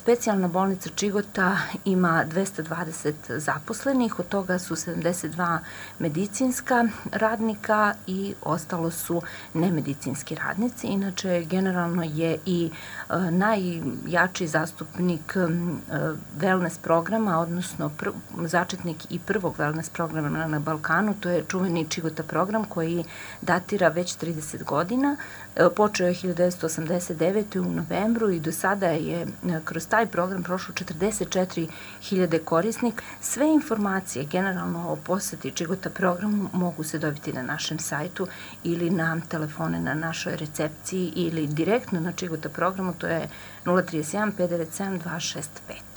Specijalna bolnica Čigota ima 220 zaposlenih, od toga su 72 medicinska radnika i ostalo su nemedicinski radnici. Inače, generalno je i najjači zastupnik wellness programa, odnosno začetnik i prvog wellness programa na Balkanu, to je čuveni Čigota program koji datira već 30 godina. Počeo je 1989. u novembru i do sada je kroz taj program prošlo 44.000 korisnika. Sve informacije generalno o poseti Čigota programu mogu se dobiti na našem sajtu ili na telefone na našoj recepciji ili direktno na Čigota programu, to je 031 597 265.